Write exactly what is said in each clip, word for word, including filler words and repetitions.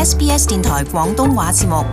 S B S 電台廣東話節目。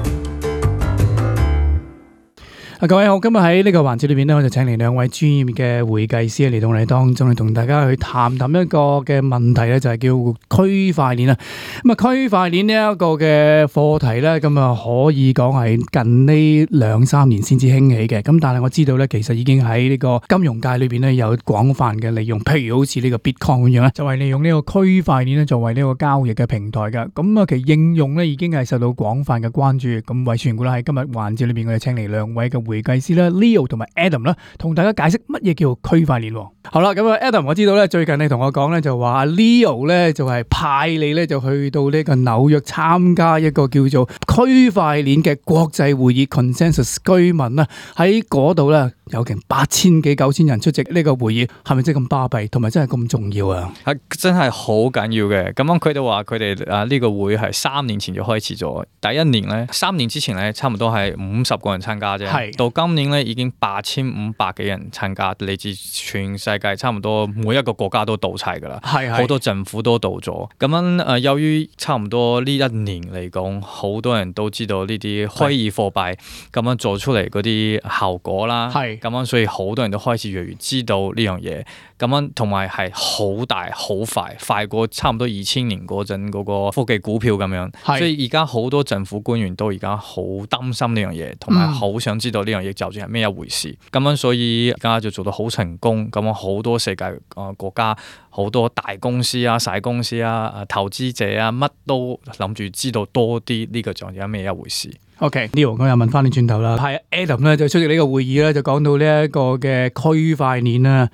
啊，各位好，今日喺呢個環節裏邊咧，我就請嚟兩位專業嘅會計師嚟到我哋當中，嚟同大家去談談一個嘅問題咧，就係叫區塊鏈啊。咁啊，區塊鏈呢一個嘅課題咧，咁啊可以講係近呢兩三年先至興起嘅。咁但係我知道咧，其實已經喺呢個金融界裏邊咧有廣泛嘅利用，譬如好似呢個 Bitcoin 咁樣咧，就係利用呢個區塊鏈咧作為呢個交易嘅平台噶。咁啊，其實應用咧已經係受到廣泛嘅關注。咁為傳顧啦，喺今日環節裏邊，我哋請嚟兩位嘅會計師啦 ，Leo 同埋 Adam 啦，同大家解釋乜嘢叫做區塊鏈。好啦，咁啊 Adam， 我知道咧最近你同我講咧就話 Leo 咧就係派你咧就去到呢個紐約參加一個叫做區塊鏈嘅國際會議 Consensus 居民啦，喺嗰度咧有成八千幾九千人出席呢個會議，係咪真係咁巴閉，同埋真係咁重要啊？係真係好緊要嘅。咁樣佢哋話佢哋啊呢個會係三年前就開始咗，第一年咧三年之前咧差唔多係五十個人參加啫，係到今年咧已經八千五百幾人參加，嚟自全世界差唔多每一個國家都到齊噶啦，係好多政府都到咗。咁樣誒、呃，由於差唔多呢一年嚟講，好多人都知道呢啲虛擬貨幣咁樣做出嚟嗰啲效果啦，係咁樣，所以好多人都開始越嚟越知道呢樣嘢。咁樣同埋係好大好快，快過差唔多二千年嗰陣嗰個科技股票咁樣。所以而家好多政府官員都而家好擔心呢樣嘢，同埋好想知道呢樣嘢究竟係咩一回事。咁樣所以而家就做到好成功。咁樣好多世界啊國家好多大公司啊、細公司啊、投資者啊，乜都諗住知道多啲呢個究竟係咩一回事。OK，Leo，我又問翻你轉頭啦。係 Adam 咧就出席呢個會議咧，就講到呢一個嘅區塊鏈啦，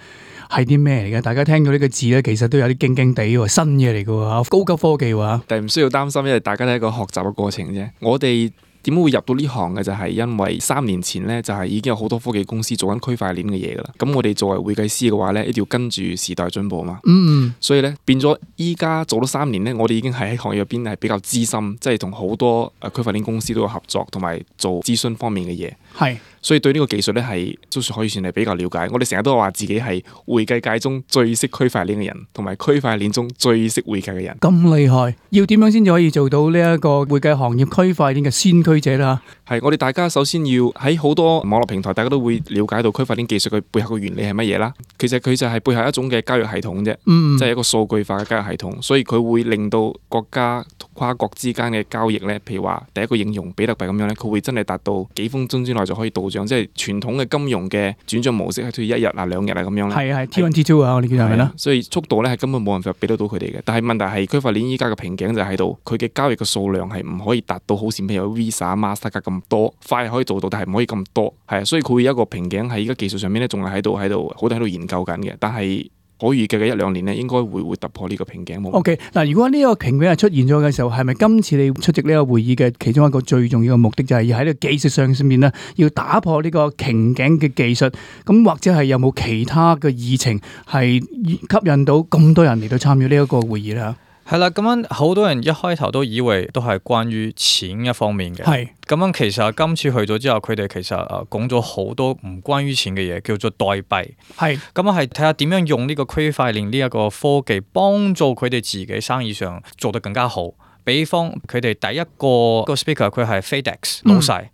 係啲咩嚟嘅？大家聽到呢個字咧，其實都有啲驚驚地喎，新嘢嚟嘅喎，高級科技喎。但係唔需要擔心，因為大家都係一個學習嘅過程啫。我哋點解會入到呢行嘅就係因為三年前咧就係已經有好多科技公司做緊區塊鏈嘅嘢噶啦。咁我哋作為會計師嘅話咧，一定要跟住時代進步嘛。嗯，所以咧變咗依家做咗三年咧，我哋已經係喺行業入邊係比較資深，即係同好多誒區塊鏈公司都有合作，同埋做諮詢方面嘅嘢。係。所以對呢個技術咧係都算可以算係比較了解。我哋成日都話自己係會計界中最識區塊鏈嘅人，同埋區塊鏈中最識會計嘅人。咁厲害，要點樣先至可以做到呢一個會計行業區塊鏈嘅先驅者啦？係我哋大家首先要喺好多網絡平台，大家都會了解到區塊鏈技術嘅背後嘅原理係乜嘢啦。其實佢就係背後一種嘅交易系統啫，嗯、即係一個數據化嘅交易系統。所以佢會令到國家跨國之間嘅交易咧，譬如話第一個應用比特幣咁樣咧，佢會真係達到幾分鐘之內就可以到帳，即係傳統嘅金融嘅轉帳模式係需要一日啊、兩日啊咁樣咧。係係 T 一 T 二啊，我哋叫係咪啦？所以速度咧係根本冇辦法俾得到佢哋嘅。但係問題係區塊鏈依家嘅瓶頸就喺度，佢嘅交易嘅數量係唔可以達到好似譬如 Visa、Mastercard 咁多，快可以做到，但係唔可以咁多。係啊，所以佢會有一個瓶頸喺依家技術上面咧，仲係喺度喺度好多喺度研究緊嘅。但係可預計嘅一兩年咧，應該會會突破呢個瓶頸。O K， 嗱，如果呢個瓶頸係出現咗嘅時候，係咪今次你出席呢個會議嘅其中一個最重要嘅目的，就係要喺呢個技術上上面咧，要打破呢個瓶頸嘅技術？咁或者係有冇其他嘅議程係吸引到咁多人嚟到參與呢一個會議咧？係啦，咁樣好多人一開頭都以為都係關於錢一方面嘅。係咁樣，其實今次去咗之後，佢哋其實誒講咗好多唔關於錢嘅嘢，叫做代幣。係咁樣，係睇下點樣用呢個區塊鏈呢一個科技幫助佢哋自己生意上做得更加好。比方佢哋第一個個 speaker 佢係 FedEx 老細。嗯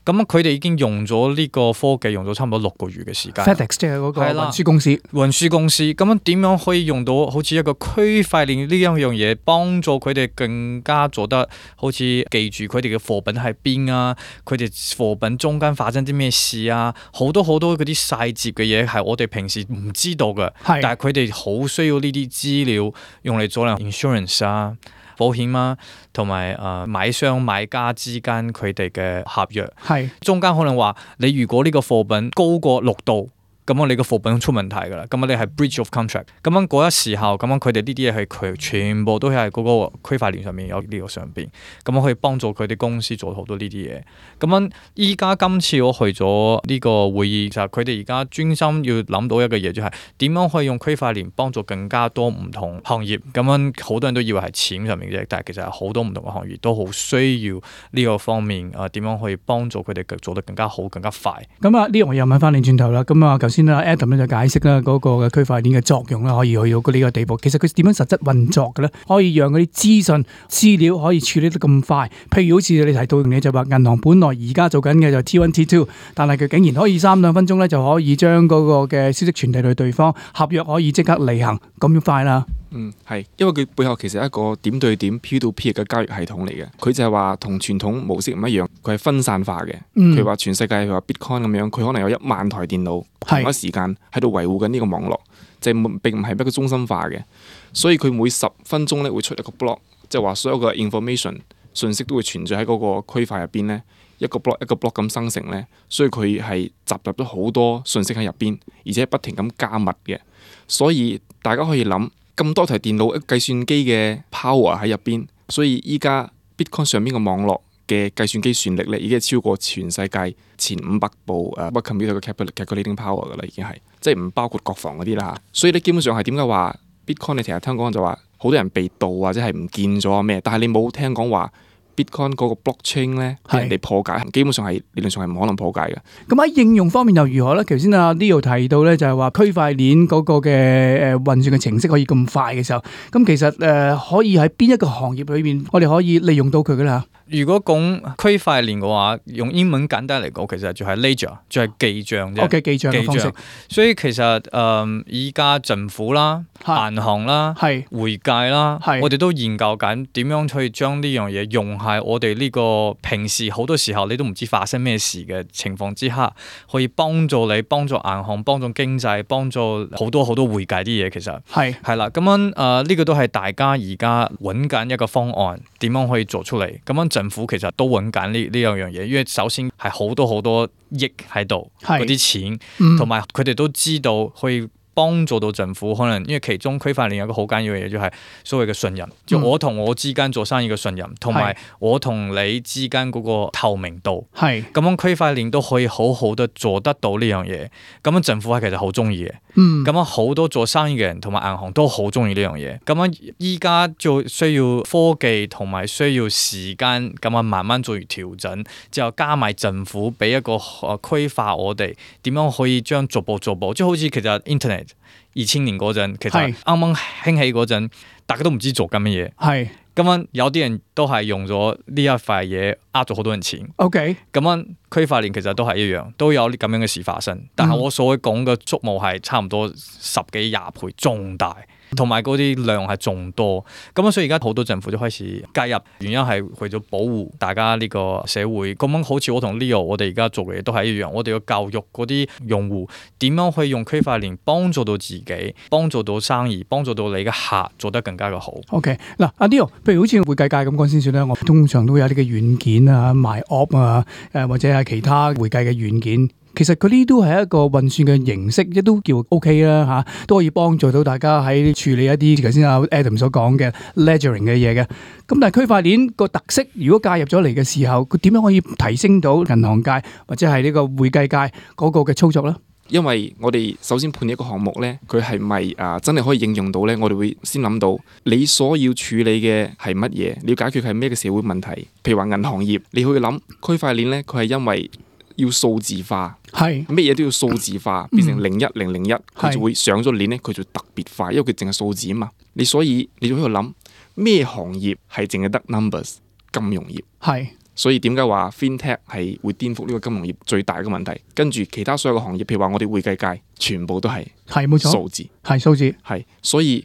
咁佢哋已經用咗呢個科技用咗差唔多六個月嘅時間。FedEx 即係嗰個運輸公司。運輸公司咁樣點樣可以用到好似一個區塊鏈呢一樣嘢，幫助佢哋更加做得好似記住佢哋嘅貨品喺邊啊，佢哋貨品中間發生啲咩事啊，好多好多嗰啲細節嘅嘢係我哋平時唔知道嘅，但係佢哋好需要呢啲資料用嚟做嚟 insurance 啊。保險啊，同埋誒買商買家之間佢哋嘅合約，係中間可能話你如果呢個貨品高過六度。咁樣你個貨品出問題㗎啦，咁樣你係 breach of contract，咁樣嗰一時候，咁樣佢哋呢啲嘢係佢全部都係嗰個區塊鏈上面有呢個上邊，咁樣可以幫助佢哋公司做好多呢啲嘢。咁樣依家今次我去咗呢個會議，就係佢哋而家專心要諗到一個嘢，就係點樣可以用區塊鏈幫助更加多唔同行業。咁樣好多人都以為係錢上面嘅啫，但係其實係好多唔同嘅行業都好需要呢個方面啊，點樣可以幫助佢哋做得更加好、更加快。咁啊，呢樣我又問翻你轉頭啦。咁啊，頭先先啦 Adam 咧就解釋啦嗰個嘅區塊鏈嘅作用啦，可以去到呢個地步。其實佢點樣實質運作嘅咧？可以讓嗰啲資訊資料可以處理得咁快。譬如好似你提到嘅就話，銀行本來而家做緊嘅就 T 一 T 二，但係佢竟然可以三兩分鐘咧就可以將嗰個嘅消息傳遞到對方，合約可以即刻履行，咁快啦。嗯，係，因為佢背後其實係一個點對點 peer to peer 嘅交易系統嚟嘅。佢就係話同傳統模式唔一樣，佢係分散化嘅。嗯、譬如話全世界譬如話 Bitcoin 咁樣，佢可能有一萬台電腦同一時間喺度維護緊呢個網絡，就係並唔係一個中心化嘅。所以佢每十分鐘咧會出一個 block，即係話所有嘅 information 信息都會存在喺嗰個區塊入邊咧，一個 block 一個 block 咁生成咧。所以佢係集集咗好多信息喺入邊，而且不停咁加密嘅。所以大家可以諗。咁多台電腦、計算機嘅 power 喺入邊，所以依家 Bitcoin 上邊嘅網絡嘅計算機算力咧，已經係超過全世界前五百部誒 computer 嘅 calculating power 噶啦，已經係，即係唔包括國防嗰啲啦嚇。所以你基本上係點解話 Bitcoin 你成日聽講就話好多人被盜或者係唔見咗咩？但係你冇聽講話 Bitcoin 嗰個 blockchain 咧，俾人哋破解，基本上係理論上係唔可能破解嘅。咁喺應用方面又如何咧？頭先阿 Leo 提到咧，就係話區塊鏈嗰個嘅誒運算嘅程式可以咁快嘅時候，咁其實誒、呃、可以喺邊一個行業裏邊，我哋可以利用到佢噶啦。如果講區塊鏈嘅話，用英文簡單嚟講，其實就係 ledger，就係記帳啫。O.K. 記帳嘅方式。所以其實誒，依家政府啦、銀行啦、係會計啦，我哋都研究緊點樣去將呢樣嘢用喺我哋呢個平時好多時候你都唔知發生咩事嘅情況之下，可以幫助你、幫助銀行、幫助經濟、幫助好多好多會計啲嘢。其實係係啦，咁樣誒呢個都係大家而家揾緊一個方案，點樣可以做出嚟？咁樣。政府其實都揾緊呢呢兩樣嘢，因為首先係好多好多億喺度，嗰啲錢，同埋佢哋都知道可以幫助到政府。可能因為其中區塊鏈有個好緊要嘅嘢，就係所謂嘅信任，嗯、就我同我之間做生意嘅信任，同埋我同你之間嗰個透明度。係咁樣區塊鏈都可以好好地做得到呢樣嘢。咁樣政府係其實好中意嘅。咁樣好多做生意嘅人同埋銀行都好中意呢樣嘢。咁樣依家就需要科技同埋需要時間，咁樣慢慢做完調整，之後加埋政府俾一個誒規劃我哋點樣可以將逐步逐步，即係好似其實 Internet 二千年嗰陣，其實啱啱興起嗰陣，大家都唔知做緊乜嘢。係咁樣有啲人都係用咗呢一塊嘢呃咗好多人錢。OK， 咁樣區塊鏈其實都係一樣，都有啲咁樣嘅事發生。但係我所講嘅觸目係差唔多十幾廿倍仲大，同埋嗰啲量係仲多。咁樣所以而家好多政府都開始介入，原因係為咗保護大家呢個社會。咁樣好似我同 Leo，我哋而家做嘅嘢都係一樣。我哋要教育嗰啲用戶點樣可以用區塊鏈幫助到自己，幫助到生意，幫助到你嘅客做得更加嘅好。OK， 嗱，阿 Leo，譬如好似會計界咁講先算啦。我通常都會有啲嘅軟件啊，賣 op 啊，誒或者係其他會計嘅軟件。其實佢呢都係一個運算嘅形式，亦都叫 OK 啦嚇，都可以幫助到大家喺處理一啲頭先阿 Adam 所講嘅 ledgering 嘅嘢嘅。咁但係區塊鏈個特色，如果介入咗嚟嘅時候，佢點樣可以提升到銀行界或者係呢個會計界嗰個嘅操作咧？因為我哋首先判一個項目咧，佢係咪啊真係可以應用到咧？我哋會先諗到你所要處理嘅係乜嘢，你要解決係咩嘅社會問題。譬如話銀行業，你可以諗區塊鏈咧，佢係因為要數字化，係乜嘢都要數字化，變成零一零零一，佢就會上咗鏈咧，佢就特別快，因為佢淨係數字啊嘛。你所以你就喺度諗咩行業係淨係得 numbers？ 金融業係。所以點解話 FinTech 係會顛覆呢個金融業最大嘅問題？跟住其他所有嘅行業，譬如話我哋會計界，全部都係係冇錯數字，係數字係。所以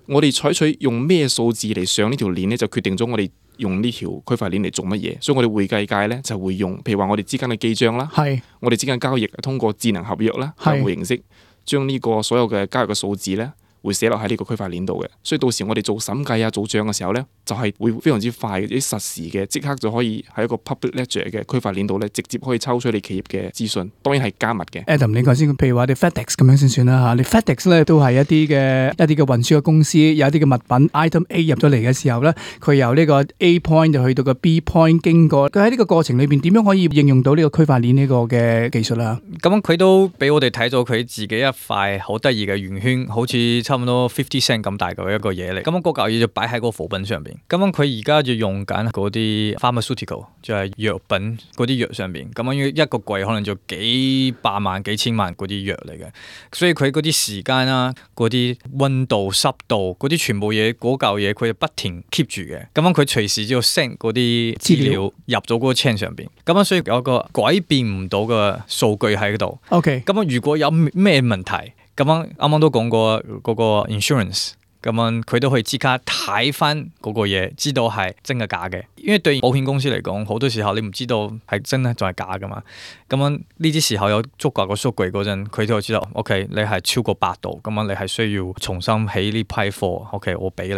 我哋採取用咩數字嚟上呢條鏈咧，就決定咗我哋用呢條區塊鏈嚟做乜嘢。所以我哋會計界咧就會用，譬如話我哋之間嘅記帳啦，係我哋之間交易通過智能合約啦，客戶形式將呢個所有嘅交易嘅數字咧，會寫落喺呢個區塊鏈度嘅，所以到時我哋做審計啊、做帳嘅時候咧，就係、是、會非常之快嘅，啲實時嘅，即刻就可以喺一個 public ledger 嘅區塊鏈度咧，直接可以抽出你企業嘅資訊，當然係加密嘅。Adam，你講先，譬如話你 FedEx 咁樣先算啦嚇，你 FedEx 咧都係一啲嘅一啲嘅運輸嘅公司，有一啲嘅物品 item A 入咗嚟嘅時候咧，佢由呢個 A point 就去到個 B point 經過，佢喺呢個過程裏邊點樣可以應用到呢個區塊鏈呢個嘅技術啦？咁佢都俾我哋睇咗佢自己一塊好得意嘅圓圈，好似差唔多 fifty cent 咁大嘅一個嘢嚟。咁樣嗰嚿嘢就擺喺個貨品上邊。咁樣佢而家就用緊嗰啲 pharmaceutical，就係藥品嗰啲藥上邊。咁樣一個櫃可能就幾百萬、幾千萬嗰啲藥嚟嘅。所以佢嗰啲時間啦、嗰啲溫度、濕度嗰啲全部嘢嗰嚿嘢，佢就不停 keep 住嘅。咁樣佢隨時就 send 嗰啲資料入咗嗰個 chain 上邊。咁樣所以有個改變唔到嘅數據喺度。OK。咁樣如果有咩問題，咁樣啱啱都講過嗰個 insurance， 咁樣佢都可以即刻睇翻嗰個嘢，知道係真嘅假嘅。因為對保險公司嚟講，好多時候你唔知道係真咧仲係假噶嘛。咁樣呢啲時候有足夠嘅數據嗰陣，佢都會知道 OK 你係超過八度，咁樣你係需要重新起呢批貨。OK 我俾你。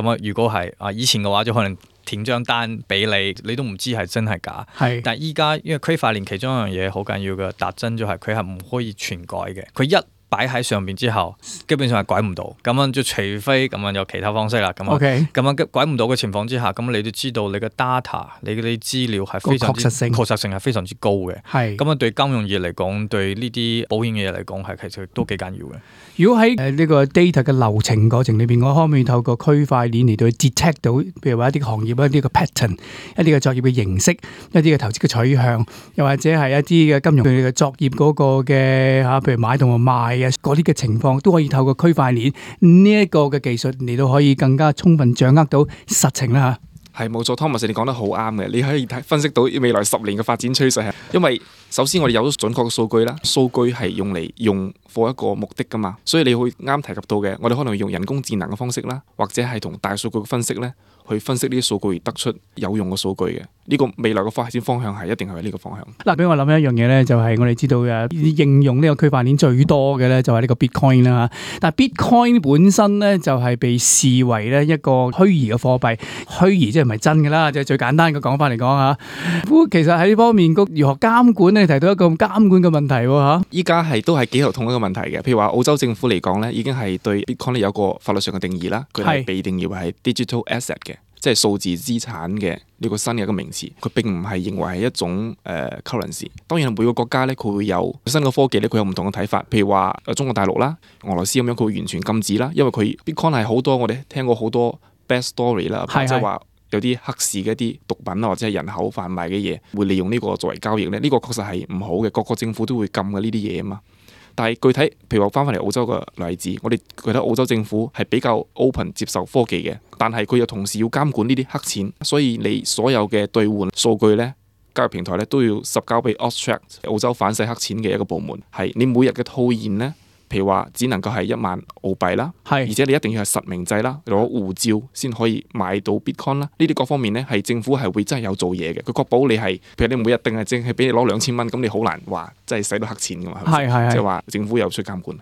咁樣如果係啊以前嘅話就可能填張單俾你，你都唔知係真係假。係。但係依家因為區塊鏈其中一樣嘢好緊要嘅特徵就係佢係唔可以篡改嘅。佢一擺喺上邊之後，基本上係改唔到。咁樣就除非咁樣有其他方式啦。咁樣，咁 Okay. 樣改唔到嘅情況之下，咁你都知道你嘅 data， 你嗰啲資料係非常之確實性，確實性係非常之高嘅。係。咁樣對金融業嚟講，對呢啲保險嘅嘢嚟講，係其實都幾緊要嘅。如果喺誒呢個 data 嘅流程過程裏邊，我可唔可以透過區塊鏈嚟到去 detect 到，譬如話一啲行業一啲嘅 pattern， 一啲嘅作業嘅形式，一啲嘅投資嘅取向，又或者係一啲嘅金融佢哋嘅作業嗰個嘅嚇，譬如買同埋賣啊嗰啲嘅情況，都可以透過區塊鏈呢一個嘅技術嚟到可以更加充分掌握到實情啦嚇。係冇錯，Thomas 你講得好啱嘅，你可以睇分析到未來十年嘅發展趨勢係，因為首先我哋有咗準確嘅數據啦，數據係用嚟用for一個目的噶嘛，所以你會啱提及到嘅，我哋可能用人工智能嘅方式啦，或者係同大數據嘅分析咧，去分析呢啲數據而得出有用嘅數據嘅。呢個未來嘅發展方向係一定係呢個方向。嗱，俾我諗一樣嘢咧，就係我哋知道嘅應用呢個區塊鏈最多嘅咧，就係呢個 Bitcoin 啦。但係 Bitcoin 本身咧就係被視為咧一個虛擬嘅貨幣，虛擬即係唔係真嘅啦，即係最簡單嘅講法嚟講嚇。咁其實喺呢方面個如何監管咧，提到一個監管嘅問題喎嚇。依家係都係幾頭痛一個問題嘅。譬如話澳洲政府嚟講咧，已經係對 Bitcoin 有個法律上嘅定義啦，佢係被定義為係 digital asset 嘅。即係數字資產嘅呢個新嘅一個名詞，佢並唔係認為係一種誒、呃、currency。當然每個國家咧，佢會有新嘅科技咧，佢有唔同嘅睇法。譬如話中國大陸啦、俄羅斯咁樣，佢會完全禁止啦，因為佢 Bitcoin 係好多我哋聽過好多 bad story 啦，即係話有啲黑市嘅一啲毒品啊，或者係人口販賣嘅嘢，會利用呢個作為交易咧。呢、呢個確實係唔好嘅，各個政府都會禁嘅呢啲嘢啊嘛。但係具體，譬如話翻返嚟澳洲嘅例子，我哋覺得澳洲政府係比較 open 接受科技嘅，但係佢又同時要監管呢啲黑錢，所以你所有嘅兌換數據咧，交易平台咧都要實交俾 Austrac 澳洲反洗黑錢嘅一個部門，係你每日嘅套現咧。譬如話，只能夠係一萬澳幣啦，而且你一定要係實名制啦，攞護照先可以買到 Bitcoin 啦。呢啲各方面咧，係政府係會真係有做嘢嘅，佢確保你係，譬如你每日定係淨係俾你攞兩千蚊，咁你好難話真係使到黑錢噶嘛。係係即係話政府有出監管。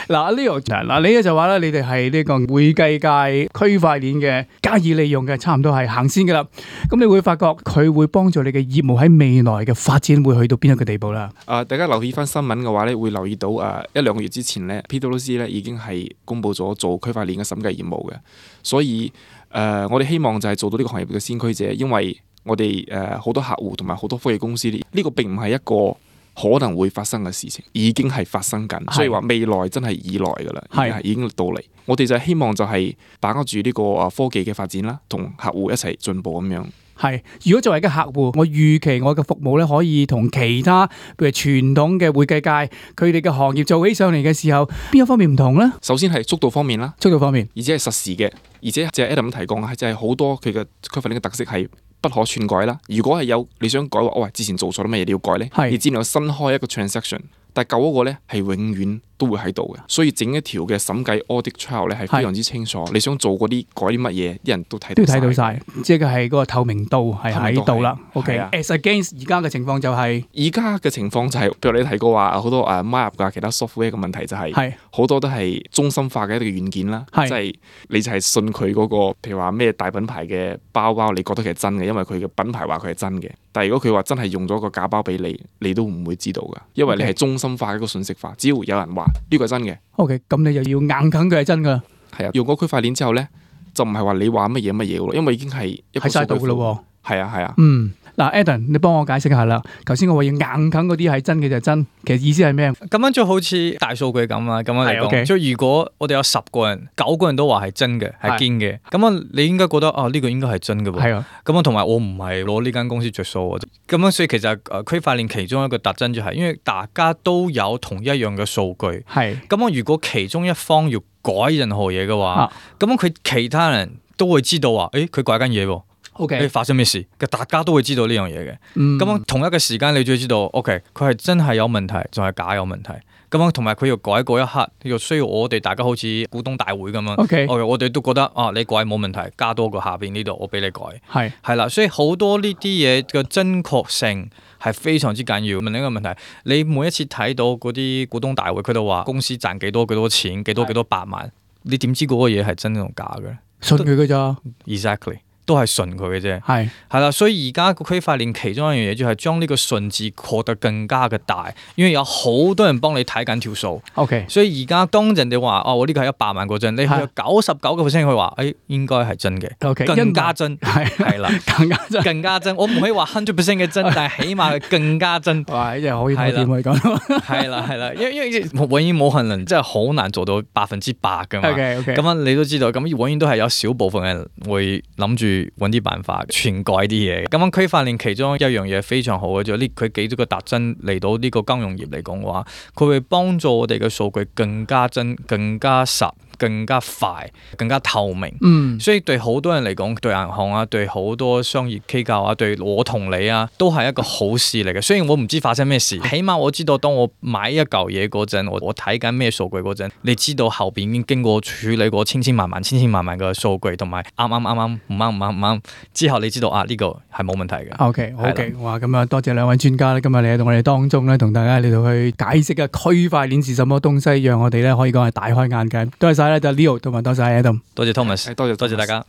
嗱呢個嗱你咧就話咧，你哋係呢個會計界區塊鏈嘅加以利用嘅，差唔多係行先噶啦。咁你會發覺佢會幫助你嘅業務喺未來嘅發展會去到邊一個地步啦？啊、呃，大家留意翻新聞嘅話咧，會留意到啊、呃、一兩個月之前。前咧 ，PwC 咧已經係公布咗做區塊鏈嘅審計業務嘅，所以誒、呃，我哋希望就係做到呢個行業嘅先驅者，因為我哋誒好多客戶同埋好多科技公司呢，呢、這個並唔係一個可能會發生嘅事情，已經係發生緊，所以話未來真係已來噶啦，係已經到嚟。我哋就係希望就係把握住呢個啊科技嘅發展啦，同客戶一齊進步咁樣。係，如果作為一個客戶，我預期我嘅服務咧可以同其他譬如傳統嘅會計界佢哋嘅行業做起上嚟嘅時候，邊一方面唔同咧？首先係速度方面啦，速度方面，而且係實時嘅，而且即係 Adam 提講嘅，就係好多佢嘅區塊鏈嘅特色係不可篡改啦。如果係有你想改話，喂，之前做錯咗乜嘢你要改咧，你只能夠新開一個 transaction， 但係舊嗰個咧係永遠都會喺度嘅，所以整一條嘅審計 audit trail 咧係非常之清楚。你想做嗰啲改啲乜嘢，啲人都睇到都睇到晒，即係係嗰個透明度係喺度啦。OK，as against 而家嘅情況就係而家嘅情況就係、是，譬如你提過話好多誒 MyUp 㗎其他 software 嘅問題就係、是，好多都係中心化嘅一個軟件啦，即係你就係信佢嗰、那個，譬如話咩大品牌嘅包包，你覺得佢係真嘅，因為佢嘅品牌話佢係真嘅。但係如果佢話真係用咗個假包俾你，你都唔會知道㗎，因為你係中心化嘅一個信息化，只要有人話呢個係真嘅。OK， 咁你就要硬啃佢係真噶。係啊，用嗰區塊鏈之後咧，就唔係話你話乜嘢乜嘢咯，因為已經係一個數據庫咯。係啊係啊。嗯，嗱 Adam 你幫我解釋下啦。頭先我話要硬啃嗰啲係真嘅就係真，其實意思係咩？咁樣就好似大數據咁啊，咁樣嚟講， okay. 即係如果我哋有十個人，九個人都話係真嘅，係堅嘅，咁啊你應該覺得啊呢、呢個應該係真嘅喎。係啊，咁啊同埋我唔係攞呢間公司着數啊，咁樣所以其實誒區塊鏈其中一個特徵就係、是，因為大家都有同一樣嘅數據，係咁啊如果其中一方要改任何嘢嘅話，咁樣佢其他人都會知道話，誒佢改緊嘢喎。OK，發生咩事？大家都會知道呢樣嘢嘅。咁、嗯、樣同一個時間，你就要知道 ，OK， 佢係真係有問題，仲係假有問題。咁樣同埋佢要改嗰一刻，要需要我哋大家好似股東大會咁樣。OK，, okay 我哋都覺得啊，你改冇問題，加多個下邊呢度，我俾你改。係係啦，所以好多呢啲嘢嘅真確性係非常之緊要。問一個問題，你每一次睇到嗰啲股東大會，佢都話公司賺幾多幾多錢，幾多幾多百萬，你點知嗰個嘢係真定假嘅？信佢嘅咋 ？Exactly。都係順佢嘅啫，係係啦，所以而家個區塊鏈其中一樣嘢就係將呢個順字擴得更加嘅大，因為有好多人幫你睇緊條數。OK， 所以而家當人哋話哦，我呢個係一百萬嗰陣，你有九十九個 percent 佢話，誒應該係真嘅。OK， 更加真係係啦，更加真，更加真。我唔可以話 hundred percent 嘅真，但係起碼係更加真。哇，呢隻可以點可以講？係啦係啦，因為因為永遠冇可能，真係好難做到百分之百噶嘛。OK OK，咁樣你都知道，咁永遠都係有少部分人會諗住揾啲辦法篡改啲嘢，咁樣區塊鏈其中一樣嘢非常好嘅就係呢，佢幾多個特徵嚟到呢個金融業嚟講嘅話，佢會幫助我哋嘅數據更加真、更加實、更加快、更加透明。嗯，所以對好多人嚟講，對銀行啊，對好多商業機構啊，對我同你啊，都係一個好事嚟嘅。雖然我唔知發生咩事，起碼我知道當我買一嚿嘢嗰陣，我我睇緊咩數據嗰陣，你知道後邊已經經過處理過千千萬萬、千千萬萬嘅數據，同埋啱啱啱啱唔啱唔啱唔啱之後，你知道啊呢個係冇問題嘅。OK OK， 哇咁啊多謝兩位專家咧，今日嚟到我哋當中咧，同大家嚟到去解釋啊區塊鏈是什麼東西，讓我哋咧可以講係大開眼界。多謝晒咧，就 Leo 同埋多謝 Adam， 多謝 Thomas， 多謝多謝大家。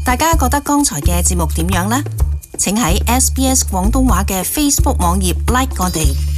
大家覺得剛才嘅節目點樣呢？請喺 S B S 廣東話嘅 Facebook 網頁 like 我哋。